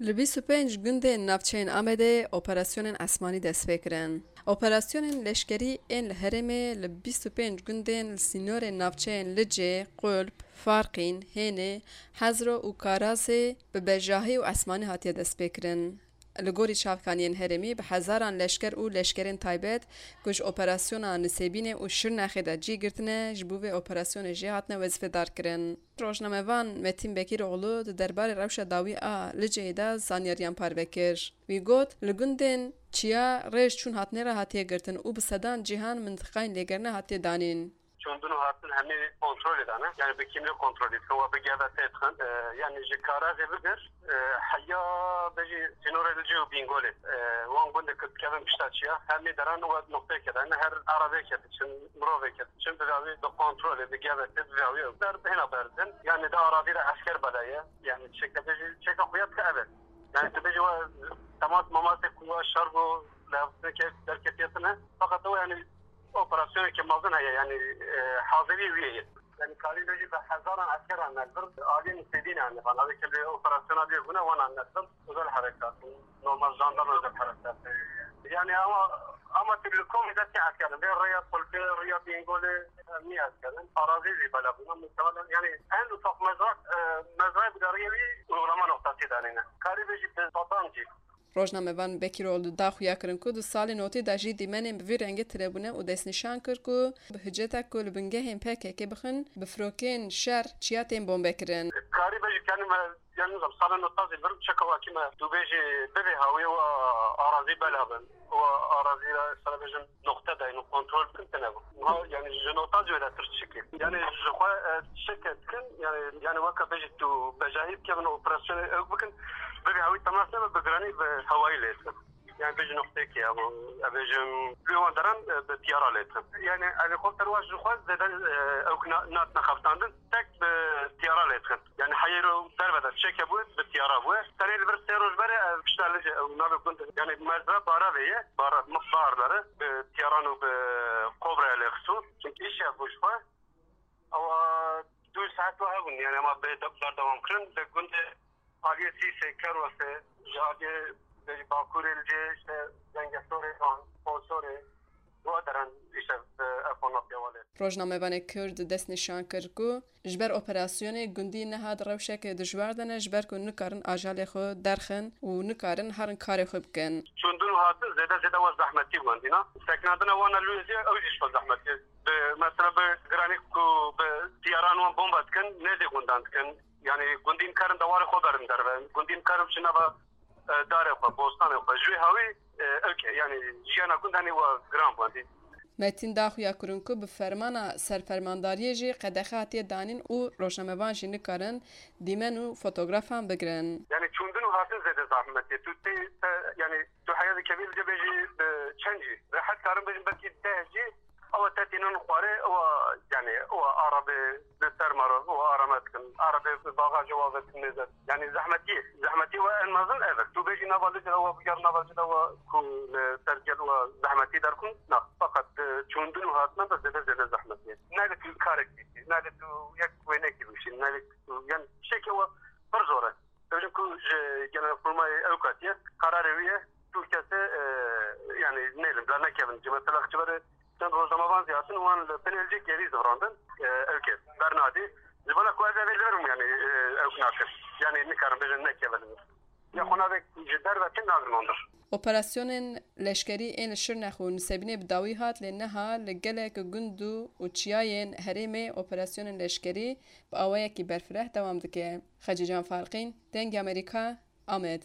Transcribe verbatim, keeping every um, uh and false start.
Li bîst û pênc gundên navçeyên Amedê operasyonên esmanî dest pê kirin. Operasyonên leşkerî ên li herêmê li bîst û pênc gundên li sînorên navçeyên Licê, Qulp, Farqîn, Hênê, Hezro û Karazê bi bejahî û esmanî hatiye destpêkirin. Li gorî çavkaniyên herêmî, bi hezaran leşker û leşkerên taybet ku ji operasyona Nisêbînê û Şirnexê de cî girtine, ji bo vê operasyonê jê hatine wezîfedarkirin. Rojnamevan Metîn Bekîroğlu di derbarê rewşa dawî a Liceyê de zanyariyan parve kir. Wî got, li gundên Çiya rêj çûn hatinê re hatiye girtin û bi sedan cîhan mintiqayên lêgerine hatiye danîn. Çûndin û hatin hemî kontrolê dane. Yani bi kîmlê kontrolê dikin, we bi G B T dixin. E, yani ji Karazê bigir, e, heya bejî sînorê Licê û Bîngolê. E, wan gundê ku dikevin pişta Çiya, hemî deran we noqteyeke dane. Her arabeyeke diçin, miroveke diçin, bi dawî bi kontrolê, bi G B T, bi dawî ew der hêna berdin. Yani di arazî de esker belaye. Yani çêke bejî, çêke xuya dike ev e. Yani tu bejî we temas mamasê ku we şer bû, lê derketiye tune. Fakat o yani operasyoneke mezin heye, yani, e, hazirî wî ye. Yani karî bejî bi hezaran eskeran ne vir, aliyên Nisêbînê ne van. Avê ke li operasyona lê bûne, wan ne vir. Özel harekat, normal jandarma özel harekat. Yani ama, ama tu li komî destê eskerin. Vê rêya Qulpê, rêya Bîngolê, e, nî eskerin. Arazî jî bela bûne. Muhtemelen yani en ufak mezra, e, mezrayê bi dariyê wî uygulama noktası danîne. Karî bejî bi sedan cî. Rojnamevan Bekîroğlu da xuya kirin ku di salên notî de jî dîmenên bi vî rengî tune bûne û destnîşan kir ku bi hiceta ku li bingehên P K K bixin, bi firokên şer çiya tên bombekirin. Karî bejî kenî me, yani nizam, salên notazî vir çeka wakî me tu bêjî bibê hawî û arazî bela bin. Û arazî re sere bêjin noqte dayîn û kontrol bikin tune bû. Niha, yani ji notazî wê de tir çikê. Yani ji xwe, e, çike dikin, yani, yani weke bêjî tu bejahî bikevin operasyonê ew bikin, bibê hawî temas nebe bi giranî bi hewayî lê dikin. Yani bêjî noqteyekê ya bu, e, bêjim, li wan deran, e, bi tiyara lê dikin. Yani helikopter wa ji xwe zêde, e, ew na-, natine xebitandin, tek bi tiyara lê dikin. Yani heyro derve de çêke bû, bi tiyara bû. Tenê li vir sê roj berê, e, pişta li, e, navê gund, yani mezra Baravê ye, Bara-, Baharları, bi tiyaran û bi kobraya lê xistû. Çünkü iş yapmış xwe. Ewa du saet wa hebûn, yani ema bê de-, berdewam kirin, di gundê aliyê Sîsê, Kerwesê, ji aliyê, bêjî Bakurê li cê, işte, Zengesorê, Ponsorê, wa deran, işte, bi ev qonatiya welê. Rojnamevanê Kurd destnîşan kir ku ji ber operasyonê gundî niha di rewşeke dijwar de ne, ji ber ku nikarin ajalê xwe derxin û nikarin herin karê xwe bikin. Çûndin û hatin zêde zêde wa zehmetî bû endîna. Sekinandina wana li wê zî ew jî ji xwe zehmetî. Bi, mesela bi giranî ku bi tiyaran wan bomba dikin, nêzî gundan dikin. Yani gundî nikarin dewarê xwe berin derve. Gundî nikarin biçin nava, e, darê xwe, bostanê xwe. Ji wê hawî, e, ewke, yani jiyana gund henî wa giran bû endî. Metîn da xuya kirin ku bi fermana serfermandariyê jî qedexe hatiye danîn û rojnamevan jî nikarin dîmen û fotografan bigirin. Yani çûndin û hatin zêde zehmetê. Tu tê, te, yani tu heya dikevî li cebê jî bi çend jî. Rehet karin bêjin belkî deh jî. Ewa te tînin xwarê, ewa, yani, ewa arabê bi ser maro, ewa arame dikin. Arabê bi bagajê wa ve dikin mêze. Yani zehmetî, zehmetî we en mezin ev e. Tu bêjî nava li cila wa biger nava cila wa ku li ser gel wa zehmetî derkun, na. Fakat, e, çûndin û hatina de zêde zêde zehmetî ye. Nayê tu karek dîtî, nayê tu yek wênekî bişî, nayê tu, yani, şeke wa pir zor e. Dibêjin ku ji Genelkurmayê ew katiye, kararê wî ye, tu kesê, e, yani, nêlin, bila nekevin. Ji mesela ji berê çend rojnamevan zî hatin, wan li Pinêlcê gerî zivirandin, e, ew kes, bernadî. Ji bona ku ez evê li vir bûm, yani, e, ew nakin. Yani, nikarin bêjin nekevin. Ya xwe navê ji derve tê nazim ondir. Operasyonên leşkerî ên li Şirnex û Nisêbînê bi dawî hat, lê niha li gelek gund û, û çiyayên herêmê operasyonên leşkerî bi awayekî berfireh dewam dike. Xecîcan Farqîn, Dengê Amerîka, Amed.